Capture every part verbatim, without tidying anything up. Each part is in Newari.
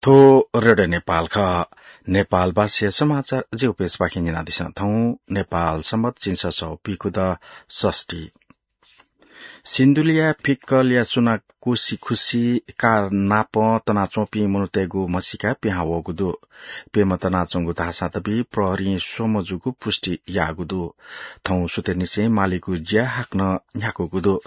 थ्व रेडियो नेपाल खः। नेपालभाषाया समाचार ज्यू पेजपाखें न्यनादिसँ। थौं नेपाल संवत् झिंछसः सौ पीखुदँ षष्ठी। सिन्धुलीया फिक्कलया सुना कोसी खुसी कार नाप तनाच्वंपिं मनूतय्गु म्हसीका पिहां वःगु दु। प्यम्ह तनाच्वंगु धाःसां तबि प्रहरीं स्वम्ह जूगु पुष्टि याःगु दु। थौं सुथय्निसें मालीगु ज्या हाकनं न्ह्याकूगु दु।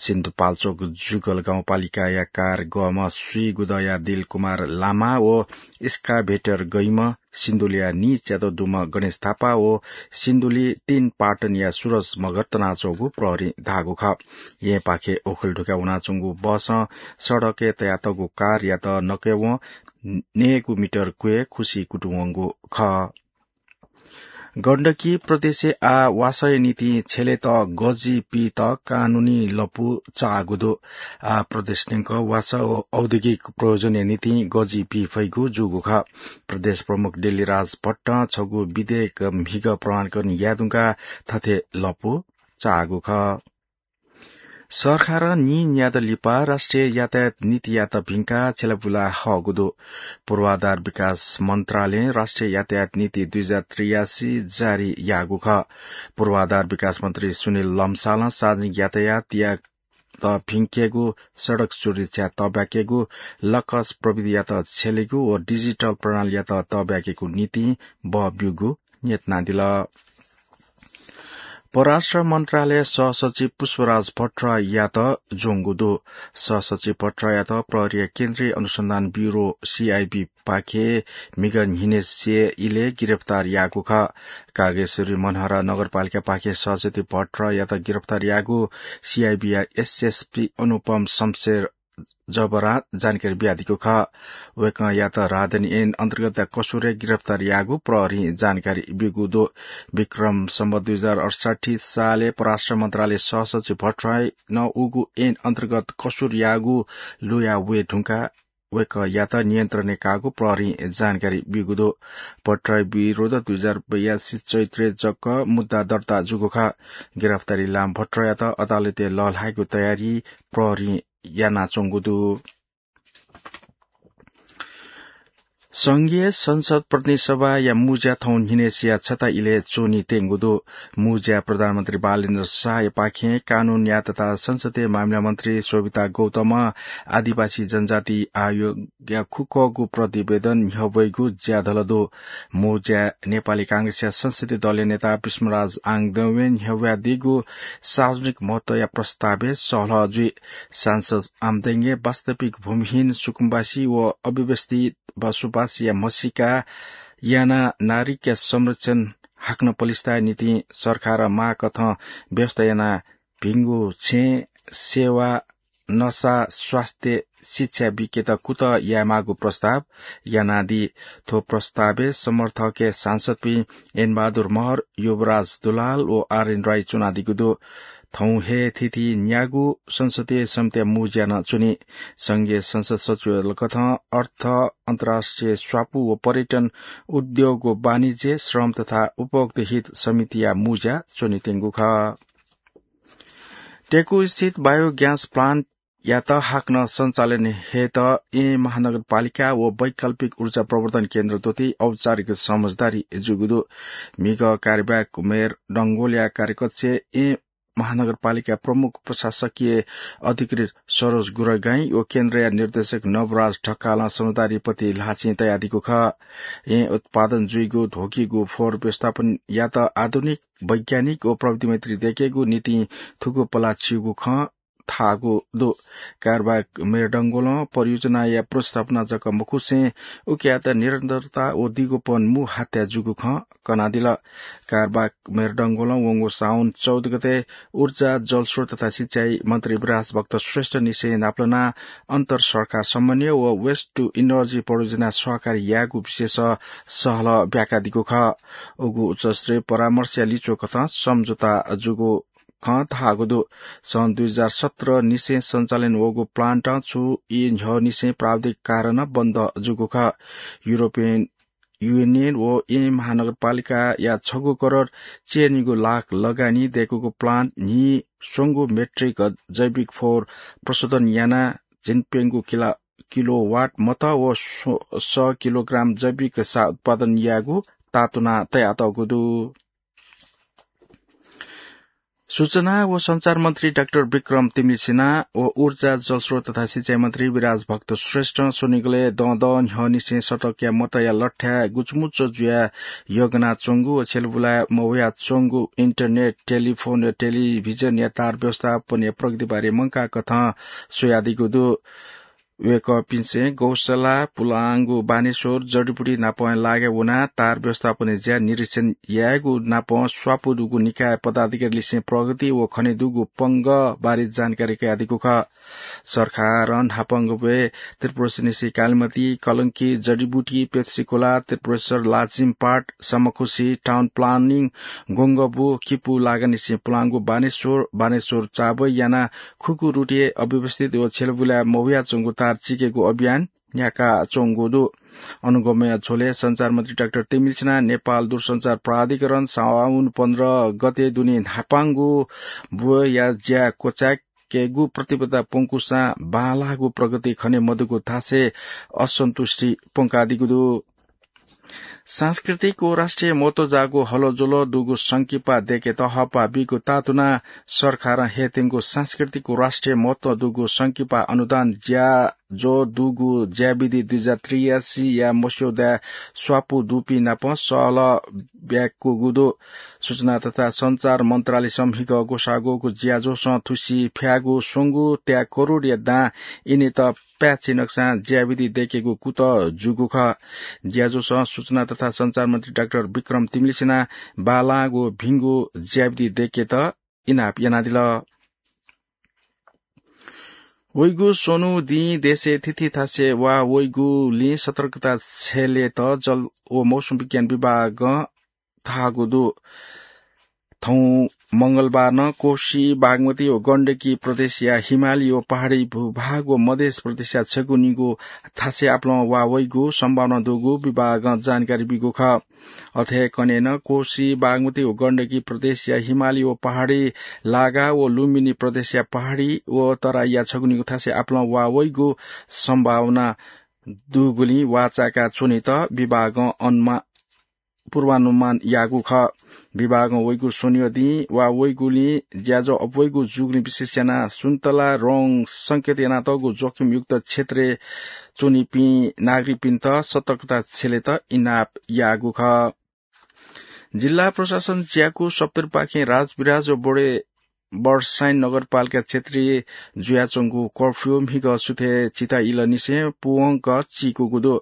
सिन्धुपाल्चोक जुगल गाउँपालिकाया कार गःम्ह स्वीगुदँया दिलकुमार लामा व excavator गइम्ह सिन्धुलीया नीच्यादँ दुम्ह गणेश थापा व सिन्धुली तीन पाटनया सुरज मगर तनाच्वंगु प्रहरीं धाःगु खः। येँपाखे ओखलढुङ्गा वनाच्वंगु बसं सडकय् तयातःगु कारयात नकय्वं नयेगु मिटर क्वय् खुसी कुतुं वंगु खः। गण्डकी प्रदेशय् आः वासःया निंतिं छ्यलेत गजी पीत कानूनी लँपु चाःगु दु। आः प्रदेश न्यंक वासः व औद्योगिक प्रयोजनया निंतिं गजी पी फइगु जूगु खः। प्रदेश प्रमुख डेलीराज भट्टं छगू विधेयक म्हिगः प्रमाणीकरण याये धुंकाः थथे लँपु चाःगु खः। सरकारं नीन्यादँ लिपा राष्ट्रिय यातायात नीतियात भिंकाः छ्यलाबुला हःगु दु। पूर्वाधार विकास मन्त्रालयं राष्ट्रिय यातायात नीति दुई हजार त्रियासी जारी याःगु खः। पूर्वाधार विकास मन्त्री सुनिल लम्सालं सार्वजनिक यातायातयात भिंकेगु, सडक सुरक्षा तःब्याकेगु, लकस प्रविधियात छ्यलेगु व डिजिटल प्रणालीयात तःब्याकेगु निंतिं बः ब्यूगु न्ह्यथनादिल। परराष्ट्र मन्त्रालय सहसचिव पुष्पराज भट्टराईयात ज्वंगु दु। सहसचिव भट्टराईयात प्रहरीया केन्द्रीय अनुसन्धान ब्यूरो, सीआईबी, पाखे म्हिगः न्हिनय्सिया इलय् गिरफ्तार याःगु खः। कागेश्वरी मनहरा नगरपालिकापाखे सहसचिव भट्टराईयात गिरफ्तार याःगु सीआईबीया एसएसपी अनुपम शमशेर जबरां जानकारी बियादीगु खः। वय्कःयात राहदानी ऐन अन्तर्गतया कसुरय् गिरफ्तार याःगु प्रहरीं जानकारी ब्यूगु दु। विक्रम सम्वत दुई हजार अठसट्ठी सालय् परराष्ट्र मन्त्रालय सहसचिव भट्टराईनं उगु ऐन अन्तर्गत कसुर याःगु लुया वये धुंकाः वय्कःयात नियन्त्रणय् काःगु प्रहरीं जानकारी ब्यूगु दु। भट्टराई विरुद्ध दुई हजार बयासी चैत्रय् जक मुद्दा दर्ता जूगु खः। गिरफ्तारी लाःम्ह भट्टराईयात अदालतय् लःल्हायेगु तयारी प्रहरीं यानाच्वंगु दु। संघीय संसद प्रतिनिधि सभाया मुज्या थौं न्हिनय्सिया छता इलय् च्वनीत्यंगु दु। मुज्या प्रधानमन्त्री बालेन्द्र शाहयापाखें कानूनया तथा संसदीय मामिला मन्त्री शोभिता गौतमं आदिवासी जनजाति आयोगया खुकःगु प्रतिवेदन न्ह्यब्वइगु ज्याधल दु। मुज्या नेपाली कांग्रेसया संसदीय दलया नेता विष्णुराज आङदौंया न्ह्यब्वयादीगु सार्वजनिक महत्वया प्रस्तावय् सहलह जुइ। सांसद आमदंगे वास्तविक भूमिहीन, सुकुम्बासी व अव्यवस्थित बसोबासया म्हसीका यानाः नागरिकया संरक्षण हाकनं पलिस्ताया निंतिं सरकारं माःकथं व्यवस्था यानाः भिंगु छेँ, सेवा, नसा, स्वास्थ्य, शिक्षा बीकेत कुतः यायेमाःगु प्रस्ताव यानादी। थ्व प्रस्तावय् समर्थकय् सांसदपिं ऐनबहादुर महर, युवराज दुलाल व आरएन राई च्वनादीगु दु। थौं हे थीथी न्यागू संसदीय समितिया मुज्या नं च्वनी। संघीय संसद सचिवालयकथं अर्थ, अन्तर्राष्ट्रिय स्वापू व पर्यटन, उद्योग व वाणिज्य, श्रम तथा उपभोक्तृ हित समितिया मुज्या च्वनीत्यंगु खः। टेकुस्थित biogas plant यात हाकनं सञ्चालन हयेत येँ महानगरपालिका व वैकल्पिक ऊर्जा प्रवर्धन केन्द्र तुति औपचारिक समझदारी जूगु दु। म्हिगः कार्यवाहक मेयर डंगोलया कार्यकक्षय् येँ महानगरपालिका प्रमुख प्रशासकीय अधिकृत सरोज गुरागाईं व केन्द्रया निर्देशक नवराज ढकालं समझदारी पति ल्हाःचिं तयादीगु खः। येँ उत्पादन जुइगु ध्वगीगु फोहोर व्यवस्थापन यात आधुनिक, वैज्ञानिक व प्रविधि मैत्री दयेकेगु निंतिं थुगु पला च्यूगु खँ धाःगु दु। कार्यवाहक मेयर डंगोलं परियोजनाया प्रतिस्थापना जक मखुसें उकियात निरन्तरता व दिगोपन मू हात्या जूगु खँ कनादिल। कार्यवाहक मेयर डंगोलं वंगु साउन चौध गते ऊर्जा, जलस्रोत तथा सिँचाइ मन्त्री विराज भक्त श्रेष्ठ निसें नापलानाः अन्तर सरकार समन्वय व waste to energy परियोजना सहकारी यायेगु विषयस सहलह ब्याकादीगु खः। उगु उच्चस्तरीय परामर्शया लिच्वकथं सम्झौता जूगु खँ धाःगु दु। सन् दुई हजार सत्र निसें सञ्चालन वःगु plant छु ई न्ह्यः निसें प्राविधिक कारणं बन्द जूगु खः। युरोपियन युनियन व येँ महानगरपालिकाया छगू करोड चय्निगू लाख लगानी दय्कूगु plant न्हिस्वंगू मेट्रिक जैविक फोहोर प्रशोधन यानाः झिंप्यंगू किला किलोवाट मत व स्व-, स किलोग्राम जैविक रेशा उत्पादन यायेगु तातुना तयातःगु दु। सूचना व सञ्चार मन्त्री डाक्टर विक्रम तिमिसिना व ऊर्जा, जलस्रोत तथा सिँचाइ मन्त्री विराज भक्त श्रेष्ठं स्वनिगलय् दँ दँ न्ह्यःनिसें सडकया मतया लठ्ठाय् गुचमुच जुयाः यग्नाच्वंगु व छ्यलबुलाय् मवयाच्वंगु इन्टरनेट, टेलिफोन व टेलिभिजनया तार व्यवस्थापनया प्रगतिबारे मंकाः कथं स्वयादीगु दु। वय्कःपिन्सं गौशाला, पुलांगु बानेश्वर, जडीबुटी नापं लागे वनाः तार व्यवस्थापनया ज्या निरीक्षण यायेगु नापं स्वापू दुगु निकाय पदाधिकारीलिसें प्रगति व खने दुगु पंगः बारे जानकारी कयादीगु खः। सरकारं न्हापांगु ब्वय् त्रिपुरेश्वरनिसें कालिमती, कलंकी, जडीबुटी, पेप्सीकोला, त्रिपुरेश्वर, लाजिमपाट, सामाखुसी, टाउन प्लानिङ, गोंगबु, किपू लागानिसें पुलांगु बानेश्वर, बानेश्वर चाबय् यानाः खुकुरुटय् अव्यवस्थित व छ्यलबुलाय् मवयाच्वंगु तार चिकेगु अभियान न्ह्याकाच्वंगु दु। अनुगमया झ्वलय् सञ्चार मन्त्री डाक्टर तेमिलसिना नेपाल दूरसञ्चार प्राधिकरण साउन पन्ध्र गते दुने न्हापांगु ब्वया ज्या क्वचाय्केगु प्रतिबद्धता प्वंकूसां बांलाःगु प्रगति खने मदुगु धासें असन्तुष्टि प्वंकादीगु दु। सांस्कृतिक व राष्ट्रिय महत्व जाःगु हलोज्वलं दुगु संकिपा दय्केत हःपाः बीगु तातुनाः सरकारं हयेत्यंगु सांस्कृतिक व राष्ट्रिय महत्व दुगु संकिपा अनुदान ज्याझ्वः दुगु ज्याविधि दुई हजार त्रियासी या मस्यौदाय् स्वापू दुपिं नाप सहलह ब्याकूगु दु। सूचना तथा सञ्चार मन्त्रालयसं म्हिगः ग्वसाः ग्वःगु ज्याझ्वलय् थुसी फ्यागु स्वंगू त्याः करोडया दां इनेत पाय्छि नकसां ज्याविधि दय्केगु कुतः जूगु खः। ज्याझ्वलय् सूचना तथा सञ्चार मन्त्री डाक्टर विक्रम तिमिलसिना बांलाःगु भिंगु ज्याविधि दय्केत इनाप यानादिल। वइगु स्वन्हु दिं देशय् थीथी थासय् वा वइगुलिं सतर्कता छ्यलेत जल व मौसम विज्ञान विभागं धाःगु दु। थौं मंगलबारं कोशी, बागमती व गण्डकी प्रदेशया हिमाली व पहाडी भूभाग व मधेस प्रदेशया छगू निगू थासय् आपालं वा वइगु सम्भावना दुगु विभागं जानकारी बीगु खः। अथे कन्हय् नं कोशी, बागमती व गण्डकी प्रदेशया हिमाली व पहाडी लागा व लुम्बिनी प्रदेशया पहाडी व तराईया छगू निगू थासय् आपालं वा वइगु सम्भावना दुगुलिं वा चाय्का च्वनेत विभागं अनुमा-, पूर्वानुमान याःगु खः। विभागं वइगु स्वन्हुया दिं वा वइगुलिं ज्याझ्वः अप्वइगु जूगुलिं विशेष यानाः सुन्तला रंग संकेत यानातःगु जोखिमयुक्त क्षेत्रय् च्वनीपिं नागरिकपिन्त सतर्कता छ्यलेत इनाप याःगु खः। जिल्ला प्रशासन ज्याकू सप्तरीपाखें राजविराज व बडे बर्साइन नगरपालिका क्षेत्रय् जुयाच्वंगु कर्फ्यू म्हिगः सुथय् चिता इलंनिसें पूवंक चीकूगु दु।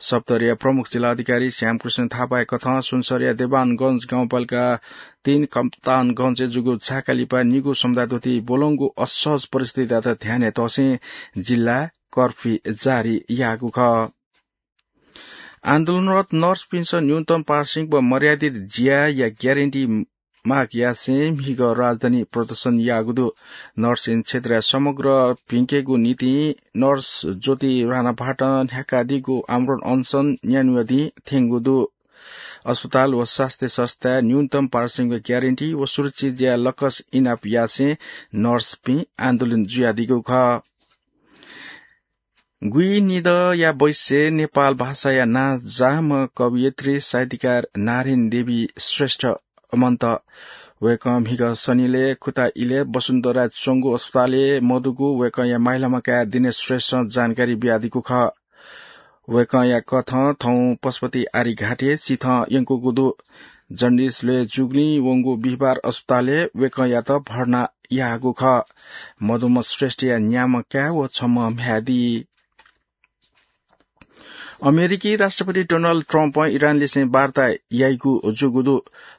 सप्तरीया प्रमुख जिल्ला अधिकारी श्यामकृष्ण थापाया कथं सुनसरीया देवानगंज गाउँपालिका तीन कप्तानगंजय् जूगु झाका लिपा निगू समुदाय द्वःति ब्वलंगु असहज परिस्थितियात ध्यानय् तःसें जिल्लाय् कर्फ्यू जारी याःगु खः। आन्दोलनरत नर्सपिन्सं न्यूनतम पारिश्रमिक व मर्यादित ज्याया ग्यारेन्टी माग यासें म्हिगः राजधानी प्रदर्शन याःगु दु। नर्सिङ क्षेत्रय् समग्र भिंकेगु निंतिं नर्स ज्योति राणाभाटं न्ह्याकादीगु आमरण अनसन न्यान्हुया दिं थ्यंगु दु। अस्पताल व स्वास्थ्य संस्थाय् न्यूनतम पारिश्रमिक ग्यारेन्टी व सुरक्षित ज्याय् लकस इनाप यासें नर्सपिं आन्दोलन जुयादीगु खः। गुइनिदँया बैसय् नेपाल भाषाया नांजाःम्ह कवयित्री साहित्यकार नारायणी देवी श्रेष्ठ मन्त। वय्कः म्हिगः सनिलय् खुता इलय् वसुन्धराय् च्वंगु अस्पतालय् मदुगु वय्कःया माइलाम्ह काय् दिनेश श्रेष्ठं जानकारी बियादीगु खः। वय्कःया कथं थौं पशुपति आर्यघाटय् चिथं यंकूगु दु। जन्डिस ल्वय् जूगुलिं वंगु बिहिबार अस्पतालय् वय्कःयात भर्ना याःगु खः। मदुम्ह श्रेष्ठया न्याम्ह काय् व छम्ह म्ह्याय् दी। अमेरिकी राष्ट्रपति डोनाल्ड ट्रम्पं इरानलिसें वार्ता याइगु जूगु दु।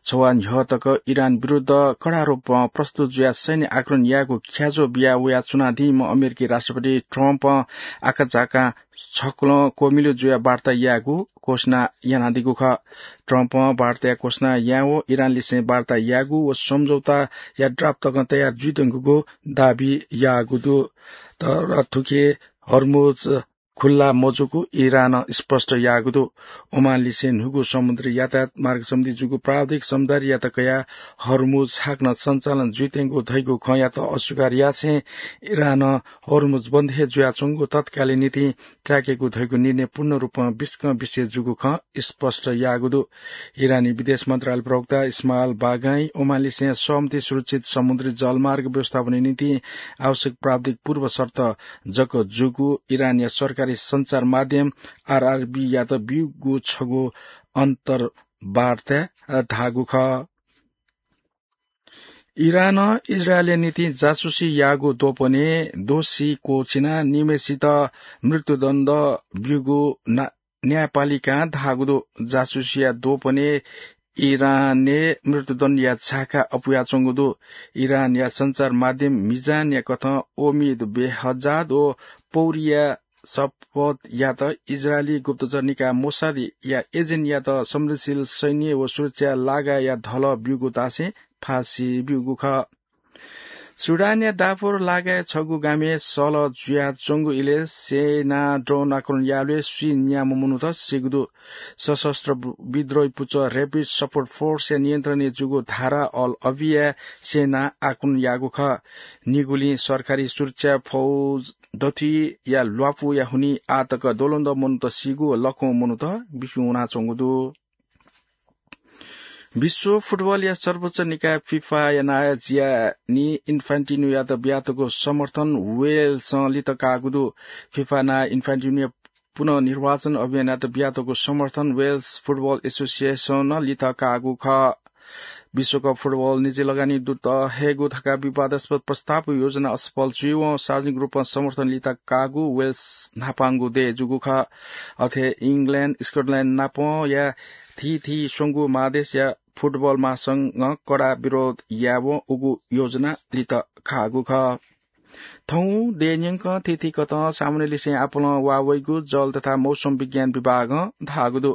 छवाः न्ह्यः तक इरान विरुद्ध कडा रूपं प्रस्तुत जुयाः सैन्य आक्रमण यायेगु ख्याजो बिया वयाच्वनादीम्ह अमेरिकी राष्ट्रपति ट्रम्पं आकाझाकां छकुलं क्वमिलु जुयाः वार्ता यायेगु घोषणा यानादीगु खः। ट्रम्पं वार्ताया घोषणा यायेवं इरानलिसें वार्ता यायेगु व सम्झौताया ड्राफ्ट तकं तयार जुइधुंकूगु दाबी याःगु दु। तर थुकी हर्मुज खुल्ला मजूगु इरानं स्पष्ट याःगु दु। ओमानलिसें न्हूगु समुद्री यातायात मार्ग सम्बन्धी जूगु प्राविधिक समझदारीयात कयाः हर्मुज हाकनं सञ्चालन जुइत्यंगु धइगु खँयात अस्वीकार यासें इरानं हर्मुज बन्द हे जुयाच्वंगु तत्कालय् निंतिं त्याकेगु धइगु निर्णय पूर्ण रूपं बिस्कं बिसे जूगु खँ स्पष्ट याःगु दु। इरानी विदेश मन्त्रालय प्रवक्ता इस्माइल बागाई ओमानलिसें सहमति सुरक्षित समुद्री जलमार्ग व्यवस्थापनया निंतिं आवश्यक प्राविधिक पूर्व शर्त जक जूगु इरानया सरकारी सञ्चार माध्यम आरआरबीयात ब्यूगु छगू अन्तर्वार्ताय् धाःगु खः। इरानं इजरायलया निंतिं जासुसी याःगु द्वपनय् दोषी क्वःछिनाः निम्हय्सित मृत्युदण्ड ब्यूगु ना-, न्यायपालिकां धाःगु दु। जासुसीया द्वपनय् इरानय् मृत्युदण्डया झाका अपुयाच्वंगु दु। इरानया सञ्चार माध्यम मिजानया कथं ओमिद बेहजाद व पौरिया सपतयात इजरायली गुप्तचर निकाय मोसादया एजेन्टयात संवेदनशील सैन्य व सुरक्षा लागाया धलः ब्यूगु धासें फाँसी ब्यूगु खः। सुडानया दाफुर लागाय् छगू गामय् सल जुयाच्वंगु इलय् सेनां ड्रोन आक्रमण याःबलय् स्वीन्याम्ह मनूत सीगु दु। सशस्त्र विद्रोही पुचः र्‍यापिड सपोर्ट फोर्सया नियन्त्रणय् जूगु धारा अल अभिया सेनां आक्रमण याःगु खः। निगुलिं सरकारी सुरक्षा फौज दथुइया ल्वापुया हुनिं आः तक द्वलंद्वः मनूत सीगु व लखौं मनूत बिस्युं वनाच्वंगु दु। विश्व फुटबलया सर्वोच्च निकाय फिफाया नायः जियानी इन्फान्टिनोयात बियातःगु समर्थन वेल्सं लित काःगु दु। फिफा नायः इन्फान्टिनोया पुनर्निर्वाचन अभियानयात बियातःगु समर्थन वेल्स फुटबल एसोसिएसनं लित काःगु खः। विश्वकप फुटबल निजी लगानी दुत हयेगु धकाः विवादास्पद प्रस्ताव व योजना असफल जुइवं सार्वजनिक रूपं समर्थन लित काःगु वेल्स न्हापांगु देय् जूगु खः। अथे इङ्ग्ल्याण्ड, स्कटल्याण्ड नापंया थीथी स्वंगू महादेशया फुटबल महासंघं कडा विरोध यायेवं उगु योजना लित काःगु खः। थौं देय् न्यंकं थीथी कथं सामान्यलिसें आपालं वाः वइगु जल तथा मौसम विज्ञान विभागं धाःगु दु।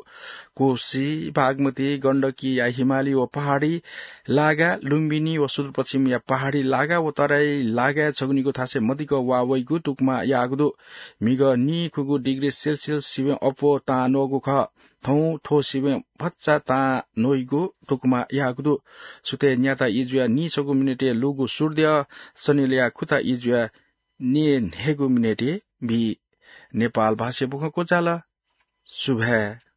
कोशी, बागमती, गण्डकीया हिमाली व पहाडी लागा, लुम्बिनी व सुदूरपश्चिमया पहाडी लागा व तराई लागाय् छगू निगू थासय् मदिक्क वाः वइगु तुकमा याःगु दु। म्हिगः नीखुगू डिग्री सेल्सियस सिबें अप्वः तां नःगु खः। थौं थ्व सिबें भचा तां नइगु तुकमा याःगु दु। सुथय् न्याता इजुया नीसगू मिनेटय् लूगु सूर्द्यः सनिलया खुता इजुया नीन्हय्गू मिनेटय् बी। नेपाल भाषाय् बुखँ क्वचाल। सुभाय्।